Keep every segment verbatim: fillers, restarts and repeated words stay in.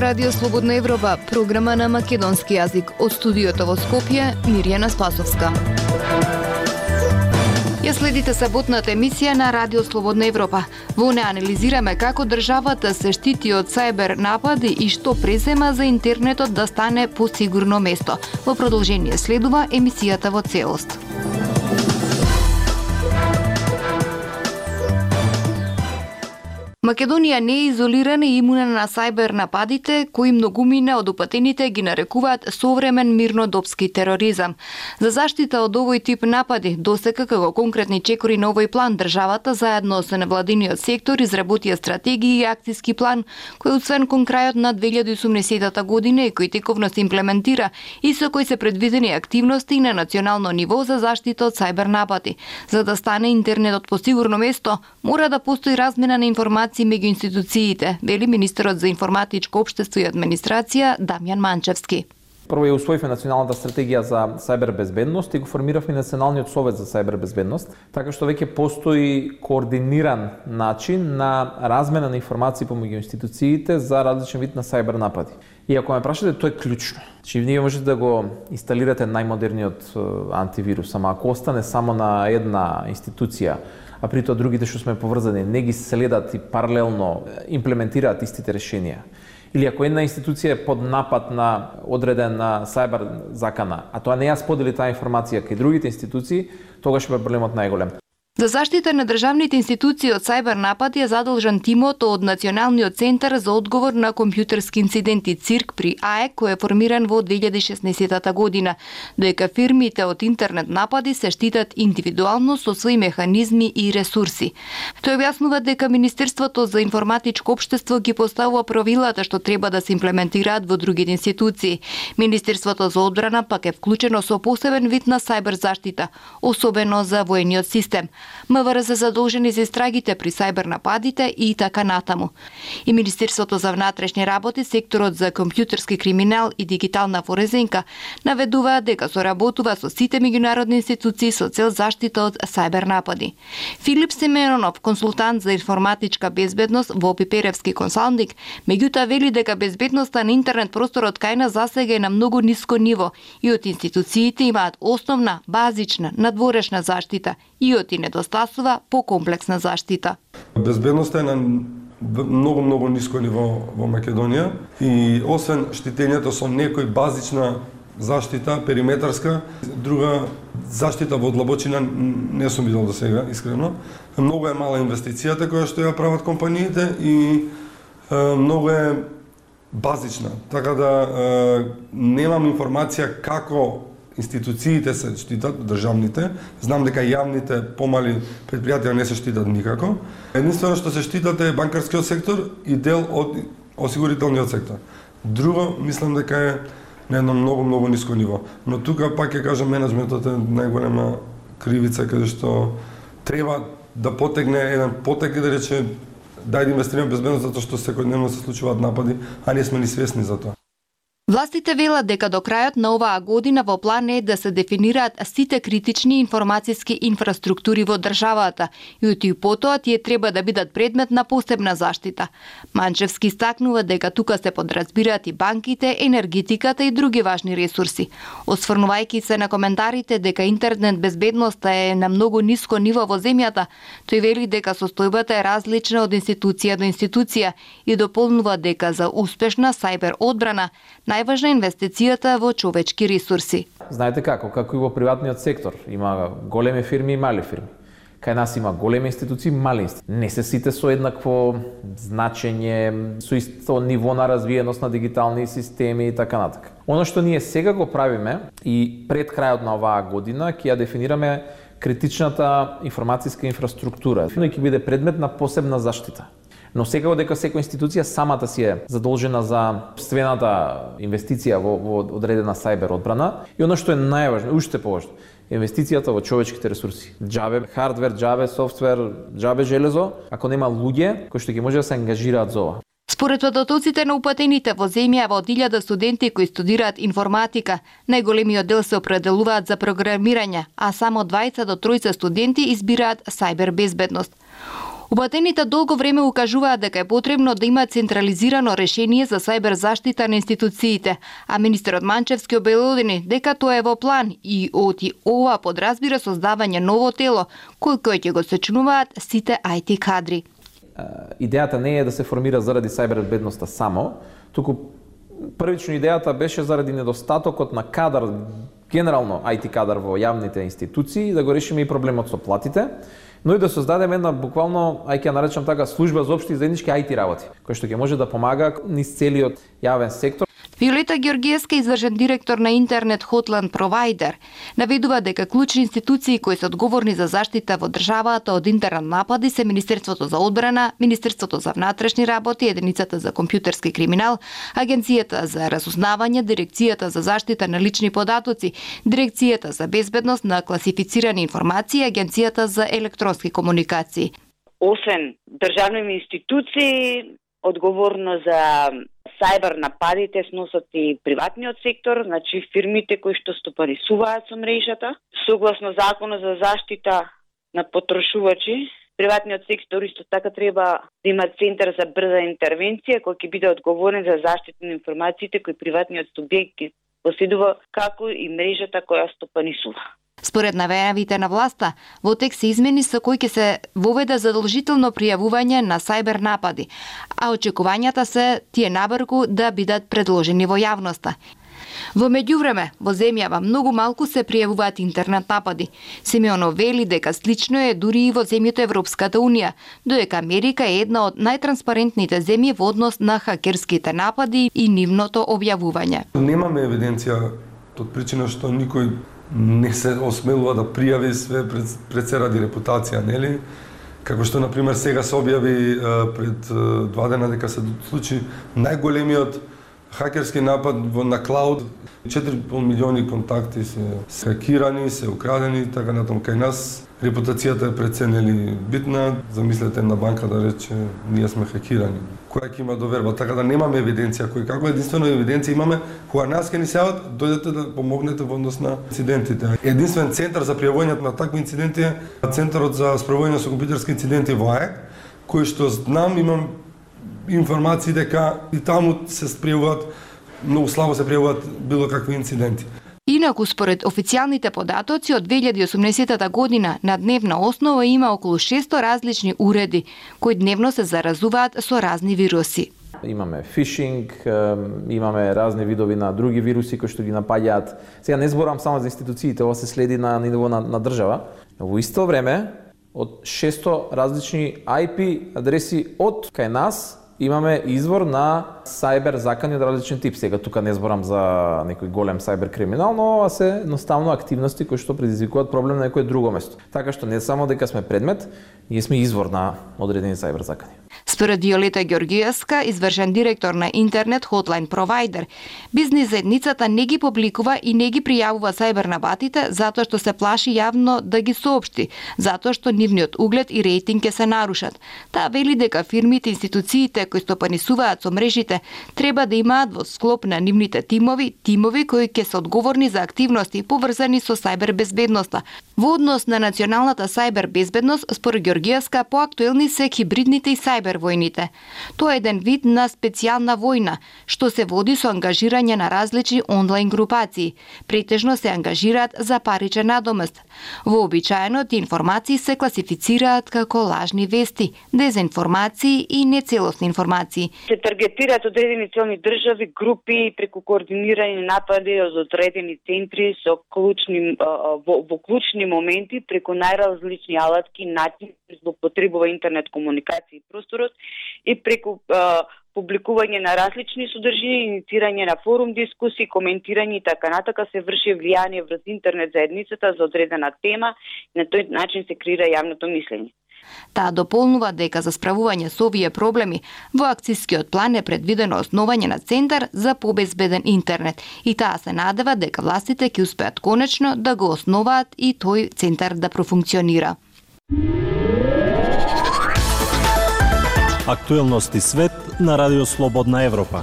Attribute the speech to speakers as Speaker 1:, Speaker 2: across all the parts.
Speaker 1: Радио Слободна Европа, програма на македонски јазик. Од студиото во Скопје, Мирјана Спасовска. Ја следите саботната емисија на Радио Слободна Европа. Во неа анализираме како државата се штити од сајбер напади и што презема за интернетот да стане посигурно место. Во продолжение следува емисијата во целост. Македонија не е изолирана и имуна на сајбер нападите, кои многумина од упатените ги нарекуваат современ мирнодопски тероризам. За заштита од овој тип напади, досека како конкретни чекори на овој план, државата заедно со невладиниот сектор изработија стратегија и акциски план, кој освен кон крајот на две илјади и осумнаесетта година и кој тековно се имплементира и со кој се предвидени активности на национално ниво за заштита од сајбер напади. За да стане интернетот посигурно место, мора да постои размена на информации меѓу институциите, вели министерот за информатичко општество и администрација Дамјан Манчевски.
Speaker 2: Прво ја усвоивме националната стратегија за сајбер безбедност и го формиравме националниот совет за сајбер безбедност, така што веќе постои координиран начин на размена на информации помеѓу институциите за различен вид на сајбер напади. И ако ме прашате, тоа е клучно. Че вие можете да го инсталирате најмодерниот антивирус, ама ако остане само на една институција, а при тоа другите што сме поврзани не ги следат и паралелно имплементираат истите решенија. Или ако една институција е под напад на одредена сајбер закана, а тоа не ја сподели таа информација кај другите институции, тогаш е проблемот најголем.
Speaker 1: За заштита на државните институции од сајбер напади е задолжен тимот од Националниот центар за одговор на компјутерски инциденти ЦИРК при АЕК, кој е формиран во две илјади и шеснаесетта година, доека фирмите од интернет напади се штитат индивидуално со своји механизми и ресурси. Тој објаснува дека Министерството за информатичко општество ги поставува правилата што треба да се имплементираат во другите институции. Министерството за одбрана пак е вклучено со посебен вид на сајбер заштита, особено за воениот систем. МВР се задолжени за истрагите при сајбер нападите и така натаму. И Министерството за внатрешни работи, секторот за компјутерски криминал и дигитална форезинка наведуваат дека соработува со сите меѓународни институции со цел заштита од сајбер напади. Филип Семенонов, консултант за информатичка безбедност во Пиперевски консалтинг, меѓутоа вели дека безбедноста на интернет просторот кај нас засега е на многу ниско ниво и од институциите имаат основна, базична, надворешна заштита и од и недостасува покомплексна заштита.
Speaker 3: Безбедноста е на многу, многу ниско ниво во Македонија и освен штитењето со некој базична заштита, периметарска, друга заштита во длабочина не сум видел до сега, искрено. Многу е мала инвестицијата која што ја прават компаниите и е, многу е базична. Така да е, немам информација како институциите се штитат, државните. Знам дека јавните помали предпријатија не се штитат никако. Единствено што се штитат е банкарскиот сектор и дел од осигурителниот сектор. Друго, мислам дека е на едно многу, многу ниско ниво. Но тука пак ќе кажам, менеджментот е најголема кривица каде што треба да потегне еден потек и да рече дај да инвестираме безбедност затоа што секојдневно се случуваат напади, а не сме ни свесни за тоа.
Speaker 1: Властите велат дека до крајот на оваа година во план е да се дефинираат сите критични информациски инфраструктури во државата и од и потоа тие треба да бидат предмет на посебна заштита. Манчевски стакнува дека тука се подразбираат и банките, енергетиката и други важни ресурси. Осврнувајќи се на коментарите дека интернет безбедноста е на многу ниско ниво во земјата, тој вели дека состојбата е различна од институција до институција и дополнува дека за успешна сајбер одбрана најважна инвестицијата во човечки ресурси.
Speaker 2: Знаете како, како и во приватниот сектор, има големи фирми и мали фирми. Кај нас има големи институции, мали институции. Не се сите со еднакво значење, со исто ниво на развиеност на дигитални системи и така натака. Оно што ние сега го правиме и пред крајот на оваа година ќе ја дефинираме критичната информацијска инфраструктура, но ќе биде предмет на посебна заштита. Но секако дека секоја институција самата си е задолжена за собствената инвестиција во, во одредена сајбер одбрана и оно што е најважно, уште поважно, инвестицијата во човечките ресурси. Џабе хардвер, џабе софтвер, џабе железо, ако нема луѓе кои што ќе може да се ангажираат за ова.
Speaker 1: Според податоците на упатените во земјава од илјада студенти кои студираат информатика, најголемиот дел се определуваат за програмирање, а само дваесет до тројца студенти избираат сајбер безбедност. Упатените долго време укажуваат дека е потребно да има централизирано решение за сајбер заштита на институциите, а министерот Манчевски обелодени дека тоа е во план и оти ова подразбира создавање ново тело кој кој ќе го сочинуваат сите ај ти кадри.
Speaker 2: Идејата не е да се формира заради сајбер безбедноста само, туку првично идејата беше заради недостатокот на кадар, генерално ај ти кадар во јавните институции, да го решиме и проблемот со платите, но и да создадеме една буквално, ај ќе ја наречам така, служба за општи и заеднички ај ти работи, која што ќе може да помага низ целиот јавен сектор.
Speaker 1: Виолета Ѓоргиевска, извршен директор на интернет Hotline Provider, наведува дека клучни институции кои се одговорни за заштита во државата од интернет напади се Министерството за одбрана, Министерството за внатрешни работи, Единицата за компјутерски криминал, Агенцијата за разузнавање, Дирекцијата за заштита на лични податоци, Дирекцијата за безбедност на класифицирани информации, Агенцијата за електронски комуникации.
Speaker 4: Освен државни институции, одговорно за сајбер нападите сносат и приватниот сектор, значи фирмите кои што стопанисуваат со мрежата. Согласно Законот за заштита на потрошувачи, приватниот сектор исто така треба да има центар за брза интервенција кој ќе биде одговорен за заштита на информациите кои приватниот субјект ќе поседува, како и мрежата која стопанисува.
Speaker 1: Според најавите на власта, во текст се измени со кој ќе се воведе задолжително пријавување на сајбер напади, а очекувањата се тие набрзо да бидат предложени во јавноста. Во меѓувреме, во земјава многу малку се пријавуваат интернет напади. Симеонов вели дека слично е дури и во земјите Европската Унија, додека Америка е една од најтранспарентните земји во однос на хакерските напади и нивното објавување.
Speaker 3: Немаме евиденција од причина што никој не се осмелува да пријави све пред, пред се ради репутација, нели? Како што, например, сега се објави пред два дена дека се случи најголемиот хакерски напад на клауд. четири и пол милиони контакти се хакирани, се украдени, така натаму кај нас. Репутацијата е преценели битна. Замислете една банка да рече, ние сме хакирани. Која ќе има доверба, така да немаме евиденција. Кој како единствено евиденција имаме, кога нас ќе ни сеат, дојдете да помогнете во однос на инцидентите. Единствен центар за пријавување на такви инциденти е Центарот за справување со компјутерски инциденти во АЕК, кој што знам, имам информации дека и таму се пријавуваат, многу слабо се пријавуваат било какви инциденти.
Speaker 1: Инаку, според официјалните податоци, од две илјади и осумнаесета година на дневна основа има околу шесто различни уреди, кои дневно се заразуваат со разни вируси.
Speaker 2: Имаме фишинг, имаме разни видови на други вируси кои што ги напаѓаат. Сега не зборам само за институциите, ова се следи на ниво на, на држава. Во исто време, од шесто различни ај пи адреси од кај нас, имаме извор на сајбер закани од различен тип. Сега тука не зборам за некој голем сајбер криминал, но ова се едноставно активности кои што предизвикуваат проблем на некое друго место. Така што не само дека сме предмет, ние сме извор на одредени сајбер закани.
Speaker 1: Според Виолета Ѓоргиевска, извршен директор на интернет Hotline Provider, бизнис заедницата не ги публикува и не ги пријавува сајбер нападите затоа што се плаши јавно да ги соопшти, затоа што нивниот углед и рейтинг ќе се нарушат. Таа вели дека фирмите и институциите кои стопанисуваат со мрежите треба да имаат во склоп на нивните тимови, тимови кои ќе се одговорни за активности поврзани со сајбер безбедноста. Во однос на националната сајбер безбедност, според Ѓоргиевска, поактуелни се хибридните и сајбер војните. Тоа е еден вид на специјална војна, што се води со ангажирање на различни онлайн групации. Претежно се ангажираат за паричен надомест. Вообичаено тие информации се класифицираат како лажни вести, дезинформации и нецелосни информации.
Speaker 4: Се таргетираат одредени целни држави, групи преку координирани напади од одредени центри со клучни во, во клучни моменти преку најразлични алатки, начини злоупотребува интернет комуникација и просторот и преку а, публикување на различни содржини, инициирање на форум дискусии, коментирање и така натака се врши влијание врз интернет заедницата за одредена тема и на тој начин се креира јавното мислење.
Speaker 1: Таа дополнува дека за справување со овие проблеми во акцискиот план е предвидено основање на центар за побезбеден интернет и таа се надева дека властите ќе успеат конечно да го основаат и тој центар да профункционира.
Speaker 5: Актуелности свет на Радио Слободна Европа.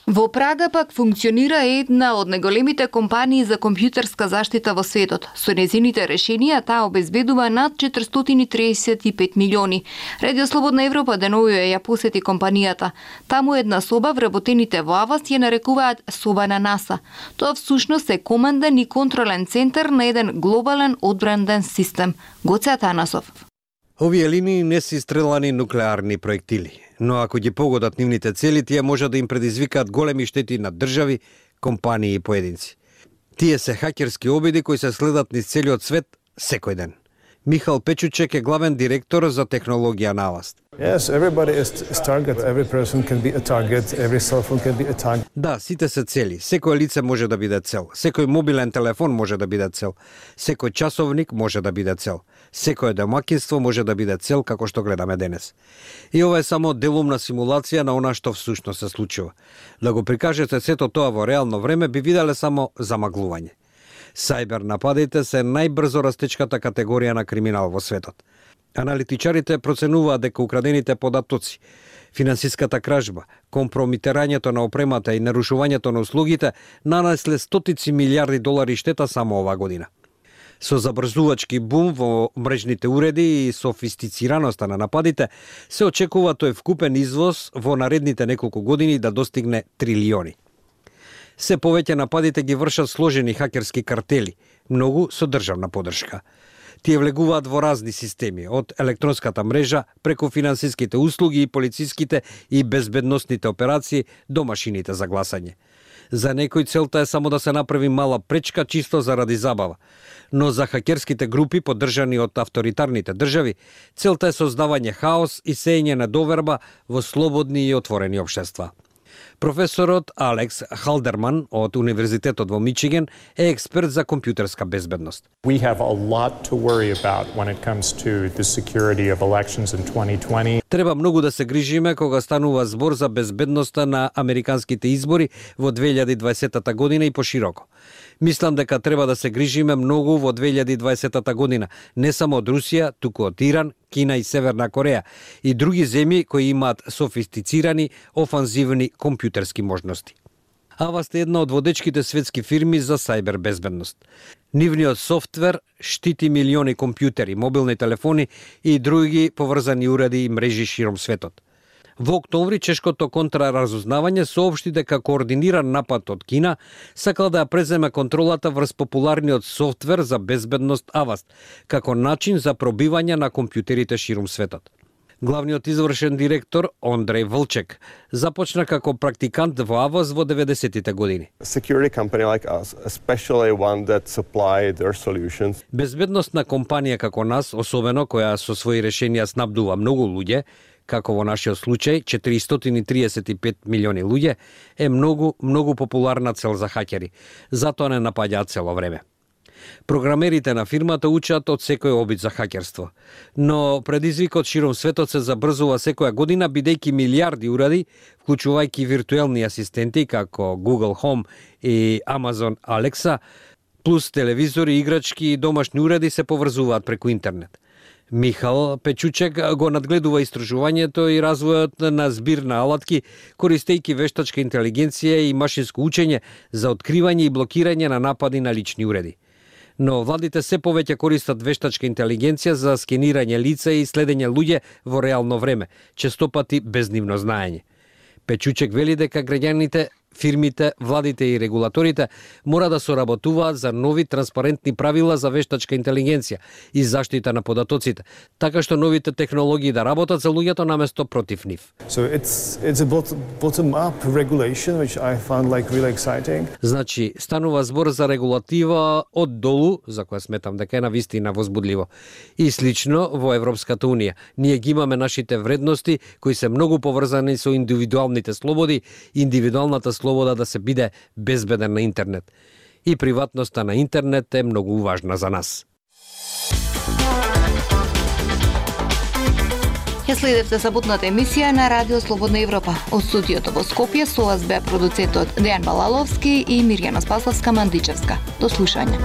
Speaker 1: Во Прага пак функционира една од најголемите компании за компјутерска заштита во светот. Со незините решенија таа обезбедува над четиристотини и триесет и пет милиони. Радио Слободна Европа деновиве ја посети компанијата. Таму една соба вработените во Аваст ја нарекуваат соба на НАСА. Тоа всушност е команден и контролен центар на еден глобален одбранен систем. Гоце Атанасов.
Speaker 5: Овие линии не се стрелани нуклеарни проектили, но ако ги погодат нивните цели, тие може да им предизвикаат големи штети на држави, компании и поединци. Тие се хакерски обиди кои се следат низ целиот свет секој ден. Михал Печучек е главен директор за технологија на Аваст.
Speaker 6: Yes, everybody is, is target. Every person can be a target. Every cell phone can be a target.
Speaker 5: Да, сите се цели. Секој лице може да биде цел. Секој мобилен телефон може да биде цел. Секој часовник може да биде цел. Секој домаќинство може да биде цел, како што гледаме денес. И ова е само делумна симулација на она што всушност се случува. Да го прикажете сето тоа во реално време би виделе само замаглување. Сајбер нападите се најбрзо растечката категорија на криминал во светот. Аналитичарите проценуваат дека украдените податоци, финансиската кражба, компромитирањето на опремата и нарушувањето на услугите нанесле стотици милиарди долари штета само оваа година. Со забрзувачки бум во мрежните уреди и софистицираноста на нападите, се очекува тој вкупен извоз во наредните неколку години да достигне трилиони. Се повеќе нападите ги вршат сложени хакерски картели, многу со државна поддршка. Тие влегуваат во разни системи, од електронската мрежа, преку финансиските услуги и полициските и безбедносните операции до машините за гласање. За некој целта е само да се направи мала пречка чисто заради забава, но за хакерските групи поддржани од авторитарните држави, целта е создавање хаос и сеење недоверба во слободни и отворени општества. Професорот Алекс Халдерман од Универзитетот во Мичиген е експерт за компјутерска безбедност.
Speaker 7: We have a lot to worry about when it comes to the security of elections in twenty twenty.
Speaker 5: Треба многу да се грижиме кога станува збор за безбедноста на американските избори во две илјади и дваесета година и пошироко. Мислам дека треба да се грижиме многу во две илјади и дваесета година, не само од Русија, туку од Иран, Кина и Северна Кореја и други земји кои имаат софистицирани, офанзивни компјутерски можности. Аваст е една од водечките светски фирми за сајбер безбедност. Нивниот софтвер штити милиони компјутери, мобилни телефони и други поврзани уреди и мрежи широм светот. Во октомври чешкото контраразузнавање соопшти дека координиран напад од Кина сакал да ја преземе контролата врз популарниот софтвер за безбедност Аваст, како начин за пробивање на компјутерите ширум светот. Главниот извршен директор Ондреј Волчек започна како практикант во Аваст во деветдесетите години.
Speaker 8: Security company like us, especially one that supply their solutions.
Speaker 5: Безбедносна компанија како нас, особено која со своји решенија снабдува многу луѓе, како во нашиот случај четиристотини и триесет и пет милиони луѓе, е многу, многу популарна цел за хакери. Затоа не напаѓаат цело време. Програмерите на фирмата учат од секој обид за хакерство, но предизвикот широм светот се забрзува секоја година, бидејќи милиарди уреди, вклучувајќи виртуелни асистенти како Google Home и Amazon Alexa, плюс телевизори, играчки и домашни уреди се поврзуваат преку интернет. Михал Печучек го надгледува истражувањето и развојот на збир на алатки, користејќи вештачка интелигенција и машинско учење за откривање и блокирање на напади на лични уреди. Но владите се повеќе користат вештачка интелигенција за скенирање лица и следење луѓе во реално време, честопати без нивно знаење. Печучек вели дека граѓаните, фирмите, владите и регулаторите мора да соработуваат за нови транспарентни правила за вештачка интелигенција и заштита на податоците, така што новите технологии да работат за луѓето наместо против нив.
Speaker 6: So it's it's a bottom up regulation which I found like really exciting.
Speaker 5: Значи, станува збор за регулатива од долу, за која сметам дека е навистина возбудливо. И слично во Европската унија. Ние ги имаме нашите вредности кои се многу поврзани со индивидуалните слободи, индивидуалната слобода да се биде безбеден на интернет. И приватноста на интернет е многу важна за нас.
Speaker 1: Ја следевте саботната емисија на Радио Слободна Европа. Од студиото во Скопје со вас беа продуцентот Дејан Балаловски и Мирјана Спасовска-Мандичевска. До слушање.